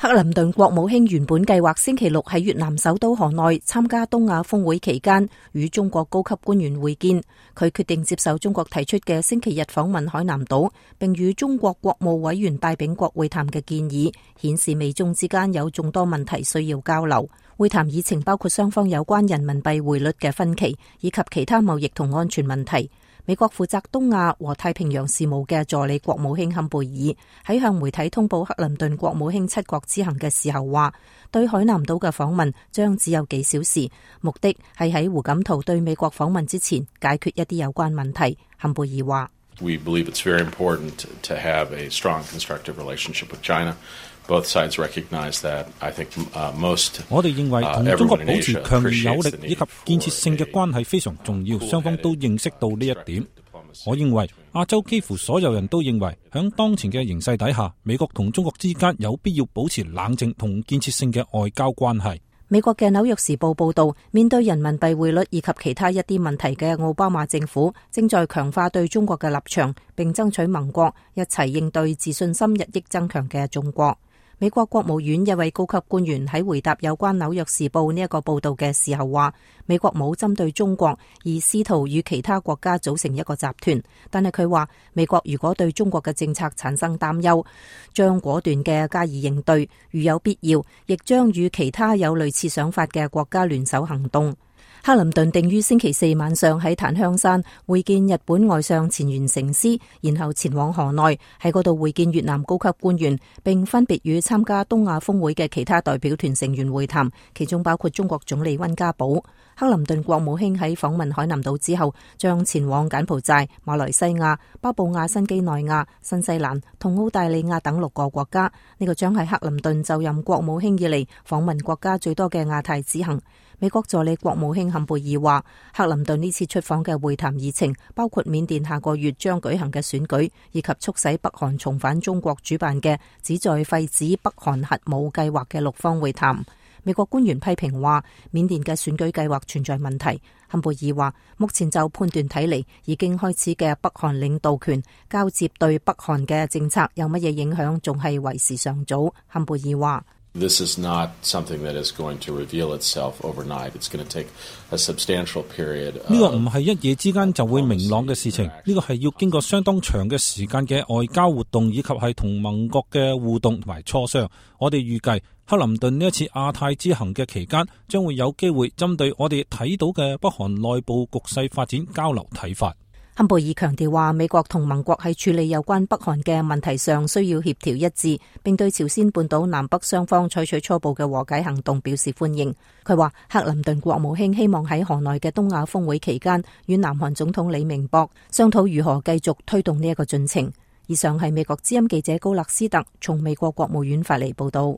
克林頓國務卿原本計劃星期六喺越南首都河內參加東亞峰會期間與中國高級官員會見，佢決定接受中國提出嘅星期日訪問海南島，並與中國國務委員戴秉國會談嘅建議，顯示美中之間有眾多問題需要交流。會談議程包括雙方有關人民幣匯率嘅分歧，以及其他貿易同安全問題。美國負責東亞和太平洋事務嘅助理國務卿坎貝爾喺向媒體通報克林頓國務卿7國之行嘅時候話，對海南島嘅訪問將只有幾小時，目的係喺胡錦濤對美國訪問之前解決一啲有關問題。坎貝爾話：We believe it's very important to have a strong constructive relationship with China. Both sides recognize that. I think most 我哋認為同中國保持強而有力以及建設性嘅關係非常重要，雙方都認識到呢一點。我認為亞洲幾乎所有人都認為，響當前嘅形勢底下，美國同中國之間有必要保持冷靜同建設性嘅外交關係。美國嘅《紐約時報》報道，面對人民幣匯率以及其他一啲問題嘅奧巴馬政府正在強化對中國嘅立場，並爭取盟國一齊應對自信心日益增強嘅中國。美國國務院一位高級官員喺回答有關《紐約時報》呢一個報道嘅時候話，美國冇針對中國而試圖與其他國家組成一個集團，但係佢話美國如果對中國嘅政策產生擔憂，將果斷嘅加以應對，如有必要，亦將與其他有類似想法嘅國家聯手行動。克林頓定於星期四晚上喺檀香山會見日本外相前原誠司，然後前往河內喺嗰度會見越南高級官員，並分別與參加東亞峰會嘅其他代表團成員會談，其中包括中國總理溫家寶。克林頓國務卿喺訪問海南島之後，將前往柬埔寨、馬來西亞、巴布亞新畿內亞、新西蘭同澳大利亞等6個國家。呢個將係克林頓就任國務卿以嚟訪問國家最多嘅亞太之行。美國助理國務卿坎貝爾話，克林頓呢次出訪嘅會談議程包括緬甸下個月將舉行嘅選舉，以及促使北韓重返中國主辦嘅旨在廢止北韓核武計劃嘅6方會談。美國官員批評話，緬甸嘅選舉計劃存在問題。坎貝爾話，目前就判斷睇嚟，已經開始嘅北韓領導權交接對北韓嘅政策有乜嘢影響，仲係為時尚早。坎貝爾話：This is not something that is going to reveal itself overnight. It's going to take a substantial period. 呢個唔係一夜之間就會明朗嘅事情，呢個係要經過相當長嘅時間嘅外交活動，以及係同盟國嘅互動同埋磋商。我哋預計克林頓呢一次亞太之行嘅期間，將會有機會針對我哋睇到嘅北韓內部局勢發展交流睇法。坎貝爾強調話，美國同盟國喺處理有關北韓嘅問題上需要協調一致，並對朝鮮半島南北雙方採取初步嘅和解行動表示歡迎。佢話，克林頓國務卿希望喺河內嘅東亞峰會期間與南韓總統李明博商討如何繼續推動呢一個進程。以上係美國之音記者高勒斯特從美國國務院發嚟報道。